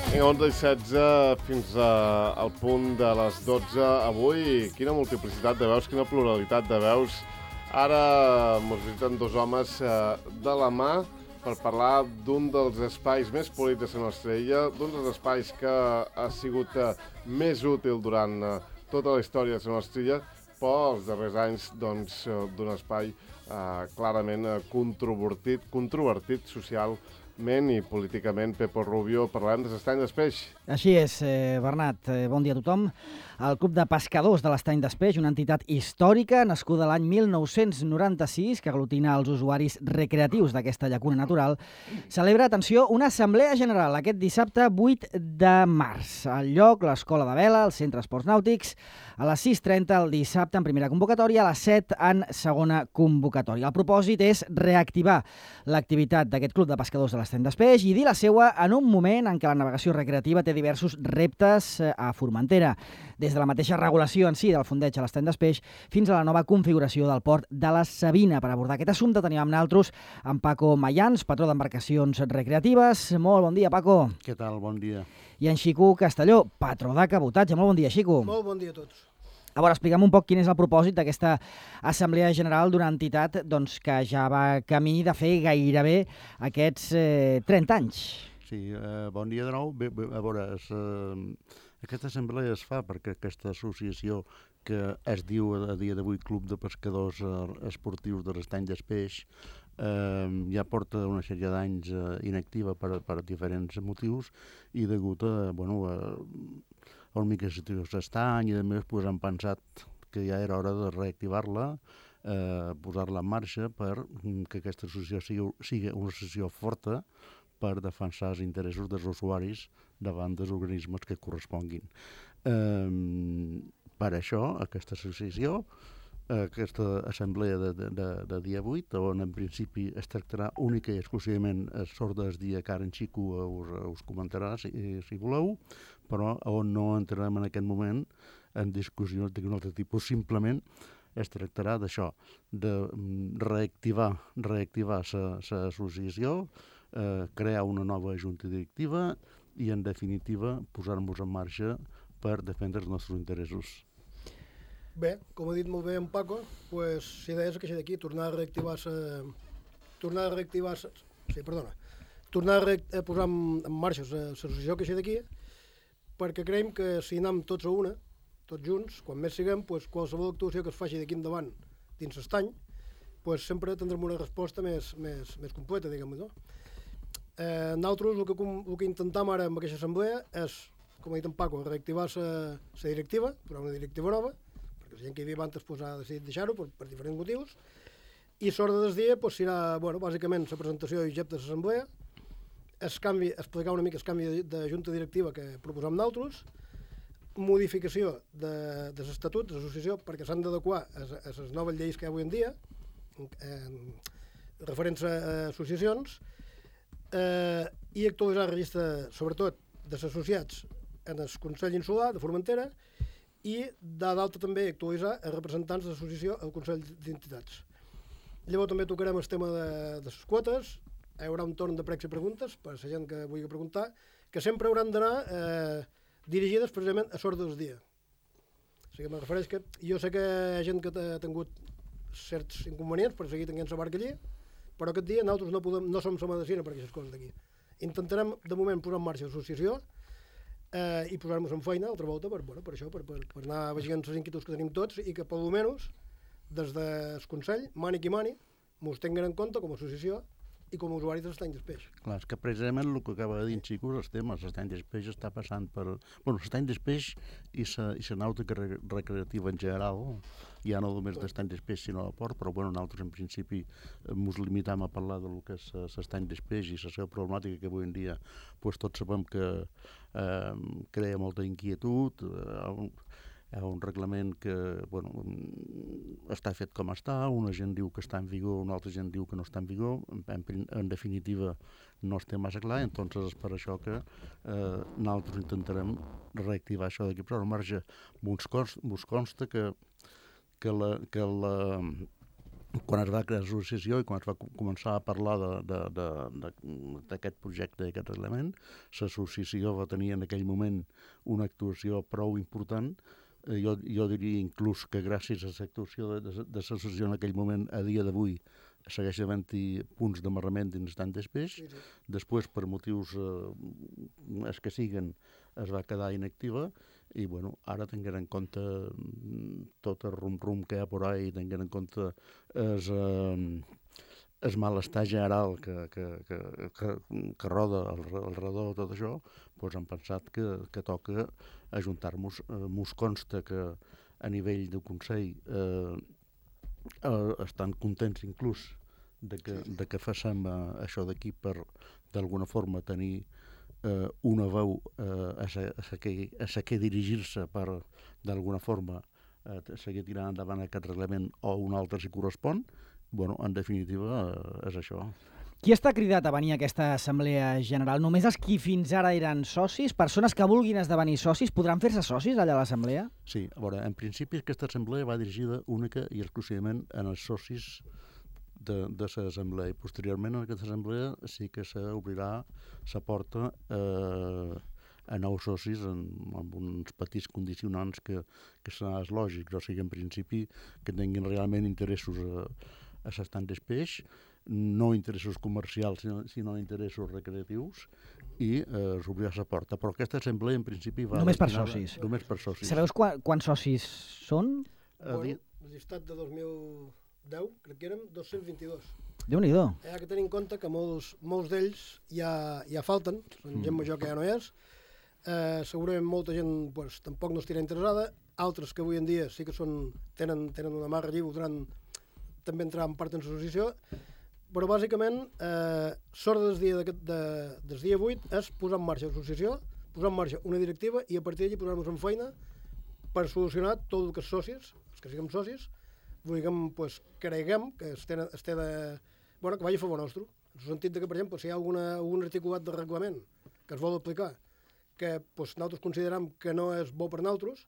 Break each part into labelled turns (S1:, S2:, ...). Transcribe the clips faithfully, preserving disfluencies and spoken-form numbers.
S1: Vinga, onze i setze fins a, al punt de les dotze. Avui, quina multiplicitat de veus, quina pluralitat de veus. Ara ens visiten dos homes eh, de la mà per parlar d'un dels espais més polits de la nostra illa, d'un dels espais que ha sigut eh, més útil durant eh, tota la història de la nostra illa, però els darrers anys doncs, eh, d'un espai eh, clarament eh, controvertit, controvertit socialment i políticament. Pepo Rubio, parlarem de l'estany d'Espeix.
S2: Així és, eh, Bernat. Eh, bon dia a tothom. El Club de Pescadors de l'Estany d'Espeix, una entitat històrica nascuda l'any mil nou-cents noranta-sis, que aglutina els usuaris recreatius d'aquesta llacuna natural, celebra, atenció, una assemblea general aquest dissabte vuit de març. Al lloc, l'Escola de Vela, el Centre Esports Nàutics, a les sis trenta el dissabte en primera convocatòria, a les set en segona convocatòria. El propòsit és reactivar l'activitat d'aquest Club de Pescadors de l'Estany d'Espeix i dir la seua en un moment en què la navegació recreativa té diversos reptes a Formentera, des de la mateixa regulació en si del fondeig a l'Estany d'Espeix fins a la nova configuració del port de la Sabina. Per abordar aquest assumpte tenim amb nosaltres en Paco Mayans, patró d'embarcacions recreatives. Molt bon dia, Paco.
S3: Què tal? Bon dia.
S2: I en Xico Castelló, patró de cabotatge. Molt bon dia, Xico.
S4: Molt bon dia a tots.
S2: A veure, explica'm un poc quin és el propòsit d'aquesta assemblea general d'una entitat doncs, que ja va camí de fer gairebé aquests eh, trenta anys.
S3: Sí, eh, bon dia de nou. Bé, bé, a veure, es, eh, aquesta assemblea es fa perquè aquesta associació que es diu a dia d'avui Club de Pescadors Esportius de l'Estany d'Espeix eh, ja porta una sèrie d'anys eh, inactiva per, per diferents motius i degut a, bueno, a, a una mica situació s'estany i a més pues, han pensat que ja era hora de reactivar-la, eh, posar-la en marxa per que aquesta associació sigui, sigui una associació forta per defensar els interessos dels usuaris davant dels organismes que corresponguin. Eh, per això, aquesta associació, aquesta assemblea de, de, de, de dia vuit, on en principi es tractarà única i exclusivament a sort del dia que ara en Xico us, us comentarà, si, si voleu, però on no entrarem en aquest moment en discussions d'un altre tipus. Simplement es tractarà d'això, de reactivar reactivar l'associació, eh, crear una nova junta directiva i, en definitiva, posar-nos en marxa per defendre els nostres interessos.
S4: Bé, com ha dit molt bé en Paco, pues, si deies que això d'aquí, tornar a reactivar-se, tornar a reactivar-se, sí, perdona, tornar a, re a posar en, en marxa l'associació que això d'aquí, perquè creiem que si anem tots a una, tots junts, quan més siguem, pues, qualsevol actuació que es faci d'aquí endavant dins l'estany, pues, sempre tindrem una resposta més, més, més completa, diguem-ho, no? Eh, nosaltres el que, el que intentem ara amb aquesta assemblea és, com ha dit en Paco, reactivar la directiva, posar una directiva nova, perquè la gent que hi havia abans pues, ha decidit deixar-ho per, per diferents motius, i l'ordre del dia pues, serà, bueno, bàsicament, la presentació i objecte de l'assemblea, es canvi, explicar una mica el canvi de, de junta directiva que proposam nosaltres, modificació de, de l'estatut de l'associació perquè s'han d'adequar a, a les noves lleis que hi ha avui en dia, eh, referents a, a associacions, eh, i actualitzar el registre, sobretot, dels associats en el Consell Insular de Formentera i d'altre també actualitzar els representants de l'associació al Consell d'Entitats. Llavors també tocarem el tema de, de les quotes, hi haurà un torn de pregs i preguntes per a la gent que vulgui preguntar, que sempre hauran d'anar eh, dirigides precisament a l'ordre del dia. O sigui, me refereix que jo sé que hi ha gent que ha tingut certs inconvenients per seguir tenint la barca allí, però aquest dia nosaltres no, podem, no som la medicina per aquestes coses d'aquí. Intentarem, de moment, posar en marxa l'associació eh, i posar-nos en feina altra volta per, bueno, per això, per, per, per anar veient les inquietuds que tenim tots i que, per almenys, des del Consell, mani qui mani, mos tinguin en compte com a associació i com a usuaris de l'Estany d'Espeix.
S3: Clar, és que precisament el que acaba de dir en Xico és el tema. L'Estany d'Espeix està passant per... Bueno, l'Estany d'Espeix i la nàutica recreativa en general, ja no només l'Estany d'Espeix sinó el port, però bueno, nosaltres en principi ens limitam a parlar del que és l'Estany d'Espeix i la seva problemàtica que avui en dia pues, tots sabem que eh, crea molta inquietud, eh, hi ha un reglament que bueno, està fet com està, una gent diu que està en vigor, una altra gent diu que no està en vigor, en, en definitiva no es té massa clar, entonces és per això que eh, nosaltres intentarem reactivar això d'aquí, però al marge ens consta que, que, la, que la, quan es va crear l'associació i quan es va començar a parlar d'aquest projecte, d'aquest element, l'associació va tenir en aquell moment una actuació prou important. Jo, jo diria inclús que gràcies a l'actuació de, de, de l'associació en aquell moment, a dia d'avui, segueix havent-hi punts d'amarrament dins tant d'espeix. Sí, sí. Després, per motius eh, els que siguen, es va quedar inactiva i bueno, ara tinguent en compte tot el rum-rum que hi ha por ahí, tinguent en compte el, eh, el malestar general que, que, que, que, que roda al, al redor de tot això, doncs hem pensat que, que toca ajuntar-nos. Eh, mos consta que a nivell del Consell eh, eh, estan contents inclús de que, de que facem eh, això d'aquí per d'alguna forma tenir eh, una veu eh, a la que, a que dirigir-se per d'alguna forma eh, seguir tirant endavant aquest reglament o un altre si correspon. Bueno, en definitiva eh, és això.
S2: Qui està cridat a venir a aquesta assemblea general? Només els qui fins ara eren socis? Persones que vulguin esdevenir socis podran fer-se socis allà a l'assemblea?
S3: Sí, a veure, en principi aquesta assemblea va dirigida única i exclusivament en els socis de, de l'assemblea, i posteriorment en aquesta assemblea sí que s'obrirà la porta eh, a nous socis en, amb uns petits condicionants que, que seran els lògics, o sigui, en principi que tinguin realment interessos a, a l'estant d'espeix, no interessos comercials, sinó, sinó interessos recreatius, i eh, s'obrirà la porta. Però aquesta assemblea, en principi, va...
S2: Només per socis.
S3: Només per socis.
S2: Sabeu quan, quants socis són?
S4: Bueno, el llistat de dos mil deu, crec que érem dos-cents vint-i-dos.
S2: Déu-n'hi-do.
S4: Hi ha que tenir en compte que molts, molts d'ells ja, ja falten, són gent major que ja no és. Eh, segurament molta gent pues, tampoc no estirà interessada, altres que avui en dia sí que són, tenen, tenen una mà lliure, podran també entrar en part en l'associació, però bàsicament eh, sort del dia, de, de, del dia vuit és posar en marxa l'associació, posar en marxa una directiva i a partir d'allí posar-nos en feina per solucionar tot el que és socis, els que siguem socis, vulguem, pues, creguem que es té, es té de... Bueno, que vagi a favor nostre. En el sentit de que, per exemple, si hi ha alguna, algun articulat de reglament que es vol aplicar, que pues, nosaltres considerem que no és bo per nosaltres,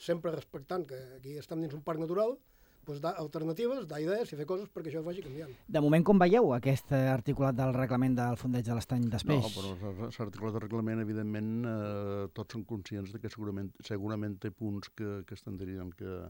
S4: sempre respectant que aquí estem dins un parc natural, pues, dar alternatives, dar idees i fer coses perquè això es vagi canviant.
S2: De moment, com veieu aquest articulat del reglament del Fondeig de l'Estany d'Espeix?
S3: No, però l'articulat del reglament, evidentment, eh, tots són conscients de que segurament, segurament té punts que, que estendrien que...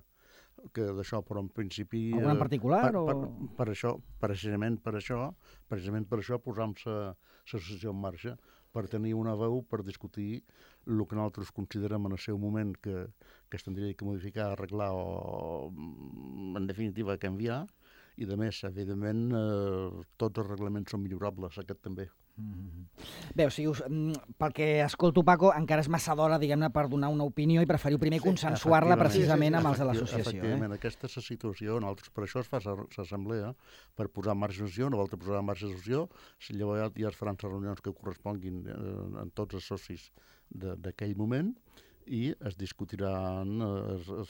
S3: que d'això, però en principi...
S2: Algun en particular?
S3: Per,
S2: o...
S3: per, per això, precisament per això, precisament per això posam l'associació en marxa, per tenir una veu per discutir el que nosaltres considerem en el seu moment que, que es tindria que modificar, arreglar o, en definitiva, canviar, i de més, evidentment, eh, tots els reglaments són millorables, aquest també.
S2: Mm-hmm. Bé, o sigui, us, pel que escolto, Paco, encara és massa d'hora, diguem-ne, per donar una opinió i preferiu primer sí, consensuar-la precisament sí, sí, sí, amb els de l'associació.
S3: Efectivament,
S2: eh?
S3: Aquesta és la situació, nosaltres per això es fa l'assemblea, per posar en marxa l'associació, no vol posar en marxa l'associació, llavors ja es faran les reunions que corresponguin eh, en tots els socis d'aquell moment, i es discutiran el, el,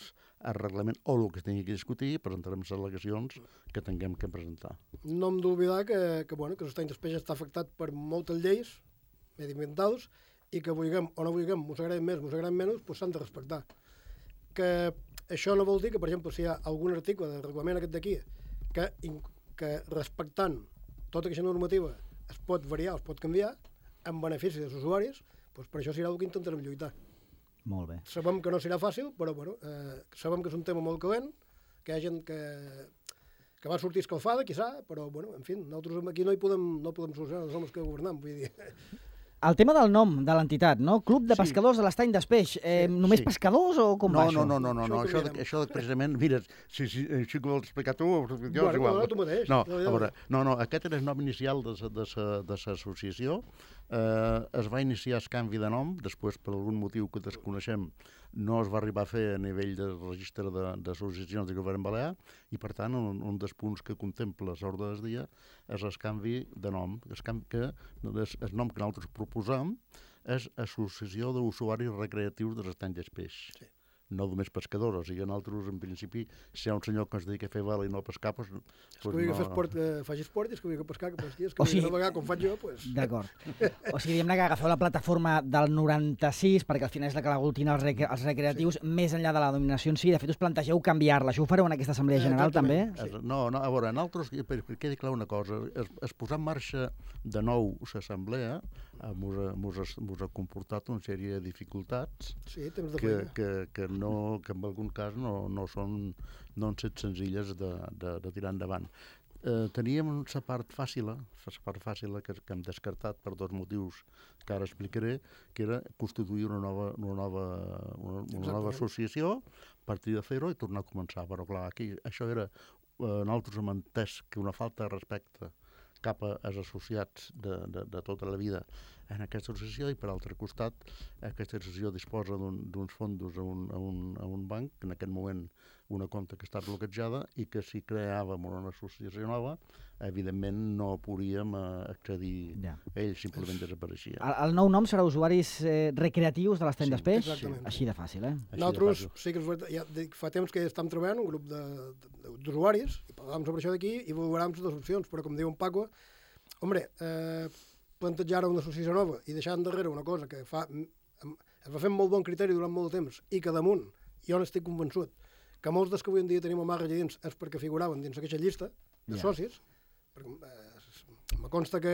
S3: el reglament o el que es tingui que discutir i presentarem les al·legacions que tinguem que presentar.
S4: No hem d'oblidar que, que, bueno, que l'estany d'espeix està afectat per moltes lleis mediambientals i que vulguem o no vulguem, mos agraden més, mos agraden menys, doncs s'han de respectar. Que això no vol dir que, per exemple, si hi ha algun article del reglament aquest d'aquí que, que respectant tota aquesta normativa es pot variar, es pot canviar en benefici dels usuaris, doncs per això serà el que intentarem lluitar.
S2: Molt bé.
S4: Sabem que no serà fàcil, però bueno, eh, sabem que és un tema molt calent, que hi ha gent que, que va sortir escalfada, quizà, però bueno, en fi, nosaltres aquí no hi podem, no podem solucionar, no som els que governem, vull dir.
S2: El tema del nom de l'entitat, no? Club de Pescadors sí. de l'Estany d'Espeix. Eh, sí, només sí. pescadors o com
S3: no,
S2: va
S3: no,
S2: això?
S3: No, no, no, no, no. Això, de, això de, precisament, mira, si, si, si que vols explicar tu, jo
S4: bueno,
S3: és igual.
S4: No, tu mateix.
S3: No, a veure, no, no, aquest era el nom inicial de l'associació. Eh, es va iniciar el canvi de nom, després per algun motiu que desconeixem no es va arribar a fer a nivell del registre d'associacions de, de govern balear i per tant un, un dels punts que contempla l'ordre del dia és el canvi de nom. El, canvi que, el nom que nosaltres proposam és Associació d'Usuaris Recreatius de l'Estany d'Espeix. Sí. no només pescadors, o sigui, nosaltres, en principi, si hi ha un senyor que es dedica a fer vela i no a pescar, doncs...
S4: És que vull que no... esport, eh, faci esport i és que vull que pescar, que pesqui, és que
S2: o
S4: vull
S2: sigui...
S4: que navegar com faig jo, doncs...
S2: D'acord. O sigui, diguem-ne que agafeu la plataforma del noranta-sis, perquè al final és la que aglutina els, rec els recreatius, sí. Més enllà de la dominació en si, de fet us plantegeu canviar-la. Això ho fareu en aquesta assemblea general, eh, també?
S3: Sí. No, no, a veure, nosaltres, per, per quedi clar una cosa, es, es posar en marxa de nou l'assemblea mos ha comportat una sèrie de dificultats
S4: sí, temps de
S3: que, que, que, no, que en algun cas no, no són no han set senzilles de, de, de tirar endavant. Eh, teníem la part fàcil, la part fàcil que, que hem descartat per dos motius que ara explicaré, que era constituir una nova, una nova, una, una nova associació, partir de fer-ho i tornar a començar. Però clar, aquí això era, eh, nosaltres hem entès que una falta de respecte cap als associats de, de, de tota la vida en aquesta associació i, per altre costat, aquesta associació disposa d'uns un, fondos a un, a, un, a un banc, en aquest moment una compta que està bloquejada i que si creàvem una associació nova, evidentment no podríem accedir ja. A ell, simplement desapareixia.
S2: El, el nou nom serà usuaris eh, recreatius de l'estany
S3: sí,
S2: d'Espeix?
S4: Exactament.
S2: Així de fàcil, eh?
S4: Nosaltres sí que ja, fa temps que estem treballant un grup d'usuaris i parlàvem sobre això d'aquí i valoràvem les opcions, però com diu en Paco, hombre, eh, plantejar una associació nova i deixar endarrere una cosa que fa, es va fer amb molt bon criteri durant molt de temps i que damunt, jo n'estic convençut, que molts dels que avui en dia tenim a Marra allà dins és perquè figuraven dins aquesta llista de yeah. socis, perquè eh, me consta que,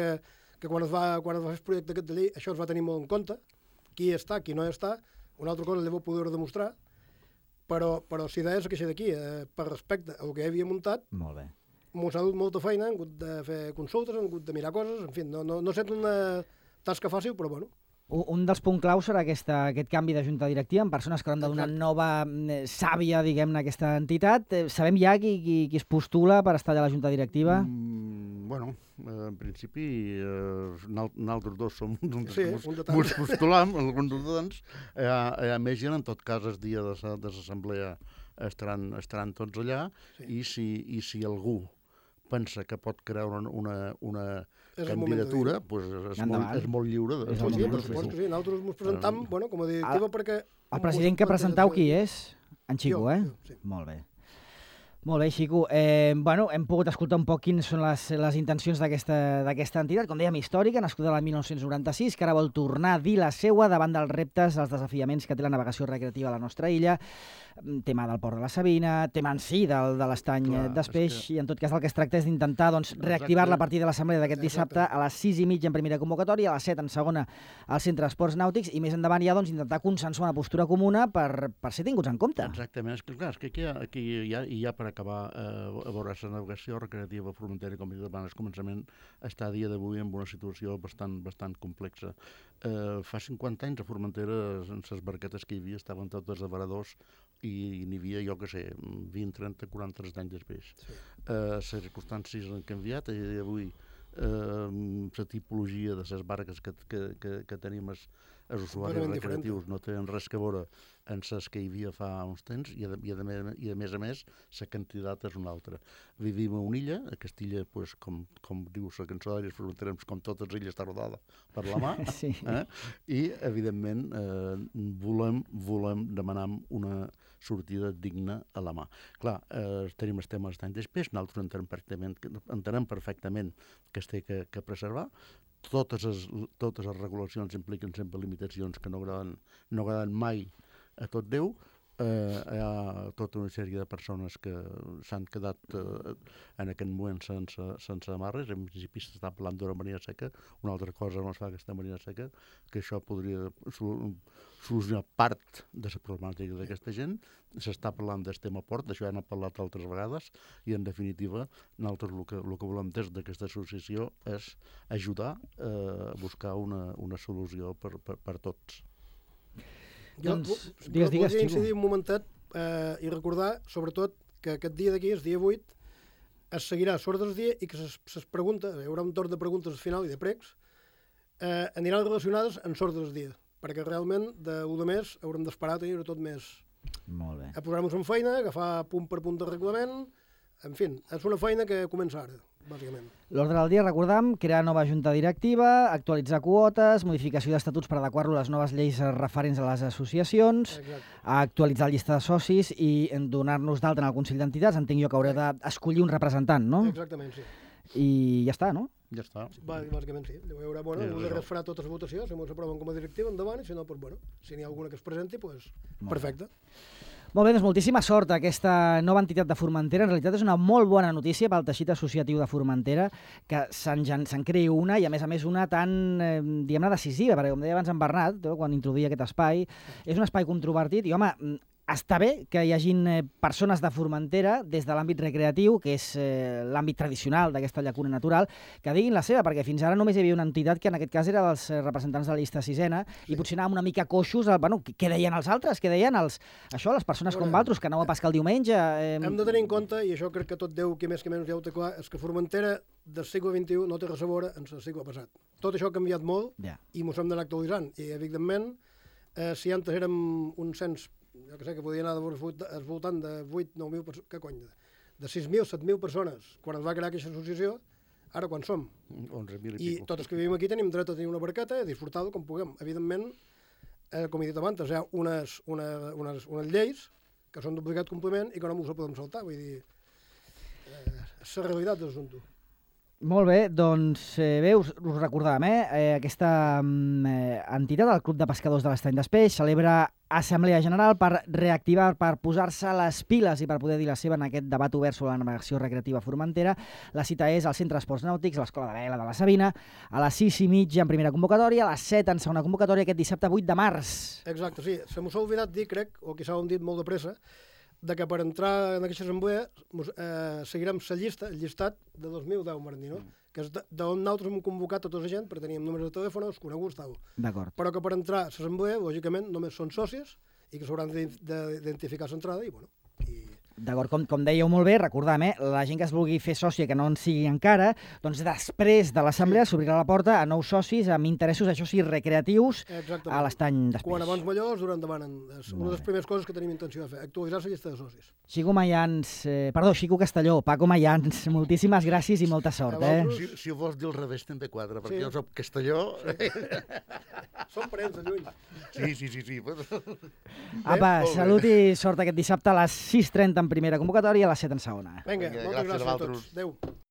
S4: que quan es va quan es va fer el projecte aquest de llei això es va tenir molt en compte, qui està, qui no està, una altra cosa llavors poder demostrar, però, però si deies que això d'aquí, eh, per respecte al que havia muntat,
S2: molt bé.
S4: M'ho ha dut molta feina, hem hagut de fer consultes, hem hagut de mirar coses, en fi, no, no, no sent una tasca fàcil, però bueno.
S2: Un dels punts claus serà aquesta, aquest canvi de junta directiva amb persones que hauran de donar nova eh, sàvia, diguem-ne, a aquesta entitat. Eh, sabem ja qui, qui, qui es postula per estar allà a la junta directiva?
S3: Mm, bueno, eh, en principi, eh, nosaltres dos som uns
S4: sí,
S3: que ens postulam, alguns dels eh, a més gent, en tot cas, el dia de l'assemblea estaran, estaran tots allà, sí. i, si, i si algú pensa que pot crear una, una, una candidatura, pues és, molt, és molt lliure. De,
S4: és molt lliure, sí, sí. Nosaltres ens presentam, uh, bueno, com a directiva, perquè...
S2: El president que presentau qui és? En Xico,
S4: jo,
S2: eh?
S4: Jo, sí.
S2: Molt bé. Molt bé, Xico. Eh, bueno, hem pogut escoltar un poc quines són les, les intencions d'aquesta entitat, com dèiem, històrica, nascuda l'any mil nou-cents noranta-sis, que ara vol tornar a dir la seua davant dels reptes, els desafiaments que té la navegació recreativa a la nostra illa, tema del port de la Sabina, tema en si del, de l'estany d'Espeix, que... i en tot cas el que es tracta és d'intentar doncs, reactivar-la a partir de l'assemblea d'aquest dissabte a les sis i mitja en primera convocatòria, a les set en segona al Centre d'Esports Nàutics, i més endavant ja doncs, intentar consensuar una postura comuna per, per ser tinguts en compte.
S3: Exactament, és que, clar, és que aquí, hi ha, aquí hi ha, hi ha per acabar eh, a veure la navegació recreativa frontera, com he dit abans, al començament, està a dia d'avui en una situació bastant, bastant complexa. Eh, fa cinquanta anys a Formentera, en les barquetes que hi havia, estaven totes a varadors i n'hi havia, jo que sé, vint, trenta, quaranta anys després. Sí. Eh, les circumstàncies han canviat i avui eh, la tipologia de les barques que, que, que, que tenim els, els usuaris recreatius diferent. No tenen res que veure en les que hi havia fa uns temps i a, i a, i a més a més la quantitat és una altra. Vivim a una illa, a Castilla, pues, com, com diu la cançó d'Àries Fronteres, com totes les illes està rodada per la mà, sí. eh? I evidentment eh, volem, volem demanar una sortida digna a la mà. Clar, eh, tenim el tema d'estany d'Espeix, nosaltres entenem perfectament, entenem perfectament que es té que, que preservar. Totes les, totes les regulacions impliquen sempre limitacions que no agraden, no agraden mai a tot Déu. Eh, hi ha tota una sèrie de persones que s'han quedat eh, en aquest moment sense, sense amarres. En principi s'està parlant d'una marina seca, una altra cosa no es fa aquesta marina seca, que això podria solucionar part de la problemàtica d'aquesta gent. S'està parlant del tema port, d'això ja n'hem parlat altres vegades, i en definitiva nosaltres el que, el que volem des d'aquesta associació és ajudar eh, a buscar una, una solució per, per, per tots.
S4: Jo doncs, digues, digues, volia incidir un momentet eh, i recordar, sobretot, que aquest dia d'aquí, el dia vuit, es seguirà sort del dia i que ses preguntes, hi haurà un torn de preguntes al final i de pregs, eh, aniran relacionades amb sort del dia, perquè realment d'un de més haurem d'esperar a tenir tot més...
S2: Molt bé.
S4: A posar-nos en feina, agafar punt per punt de reglament, en fi, és una feina que comença ara. bàsicament.
S2: L'ordre del dia, recordam, crear nova junta directiva, actualitzar quotes, modificació d'estatuts per adequar-lo a les noves lleis referents a les associacions,
S4: Exacte.
S2: actualitzar la llista de socis i donar-nos d'alta en el Consell d'Entitats. Entenc jo que haureu d'escollir un representant, no?
S4: Exactament, sí.
S2: I ja està, no?
S3: Ja està.
S4: Bà- Bàsicament sí. Hi haurà, bueno,
S3: Sí,
S4: sí,
S3: això.
S4: es farà totes les votacions, si s'aproven com a directiva, endavant, i si no, doncs, bueno, si n'hi ha alguna que es presenti, doncs, perfecte.
S2: Molt bé, doncs moltíssima sort a aquesta nova entitat de Formentera. En realitat és una molt bona notícia pel teixit associatiu de Formentera que se'n gen- se'n creï una i, a més a més, una tan, eh, diguem-ne, decisiva, perquè, com deia abans en Bernat, eh, quan introduïa aquest espai, és un espai controvertit i, home, mm, està bé que hi hagin eh, persones de Formentera des de l'àmbit recreatiu, que és eh, l'àmbit tradicional d'aquesta llacuna natural, que diguin la seva, perquè fins ara només hi havia una entitat que en aquest cas era dels eh, representants de la llista sisena sí. i potser anàvem una mica coixos, al, bueno, què deien els altres? Què deien els, això, les persones com vosaltres, que aneu a pescar el diumenge? Eh...
S4: Hem de tenir en compte, i això crec que tot Déu, qui més que menys ja ho té clar, és que Formentera del segle vint-i-u no té res a veure amb el segle passat. Tot això ha canviat molt
S2: Ja.
S4: i mos hem d'anar actualitzant. I, evidentment, eh, si antes érem un cens, jo que sé, que podia anar al voltant de vuit nou mil persones, que cony, de, de sis mil set mil persones, quan es va crear aquesta associació, ara quan som?
S3: onze mil i
S4: I
S3: pico.
S4: tots els que vivim aquí tenim dret a tenir una barqueta i a disfrutar-ho com puguem. Evidentment, eh, com he dit abans, hi ha unes, una, unes, unes lleis que són d'obligat compliment i que no ens ho podem saltar. Vull dir, eh, és la realitat de l'assumpte.
S2: Molt bé, doncs eh, bé, us, us recordàvem, eh? eh aquesta mm, eh, entitat, el Club de Pescadors de l'Estany d'Espeix, celebra Assemblea General per reactivar, per posar-se les piles i per poder dir la seva en aquest debat obert sobre la navegació recreativa a Formentera. La cita és al Centre d'Esports Nàutics, a l'Escola de Vela de la Sabina, a les sis i mitja en primera convocatòria, a les set en segona convocatòria, aquest dissabte vuit de març.
S4: Exacte, sí. Se m'ho s'ha oblidat dir, crec, o quizà ho hem dit molt de pressa, de que per entrar en aquesta assemblea mos, eh, seguirem la llista, el llistat de dos mil deu, Martí, no? Que és d'on nosaltres hem convocat tota la gent, perquè teníem números de telèfon, els coneguts, tal.
S2: D'acord.
S4: Però que per entrar a l'assemblea, lògicament, només són socis i que s'hauran d'identificar l'entrada i, bueno, i...
S2: D'acord, com, com dèieu molt bé, recordam, eh, la gent que es vulgui fer sòcia, que no en sigui encara, doncs després de l'assemblea s'obrirà la porta a nous socis amb interessos, això sí, recreatius,
S4: Exactament.
S2: a l'Estany d'Espeix.
S4: Quan abans millor, durant endavant. És una de les primeres coses que tenim intenció de fer, actualitzar la llista de socis.
S2: Xico Mayans, eh, perdó, Xico Castelló, Paco Mayans, moltíssimes gràcies i molta sort,
S4: A
S2: eh?
S4: vosaltres.
S3: Si, si ho vols dir al revés, també quadra, perquè
S4: Sí.
S3: jo soc castelló.
S4: Som parents de lluny.
S3: Sí, sí, sí, sí.
S2: Apa,
S3: molt bé.
S2: salut i sort aquest dissabte a les sis i trenta en primera convocatòria i a les set en segona.
S4: Vinga,
S3: Vinga,
S4: moltes
S3: gràcies a
S4: gràcies a
S3: vosaltres.
S4: tots. Adéu.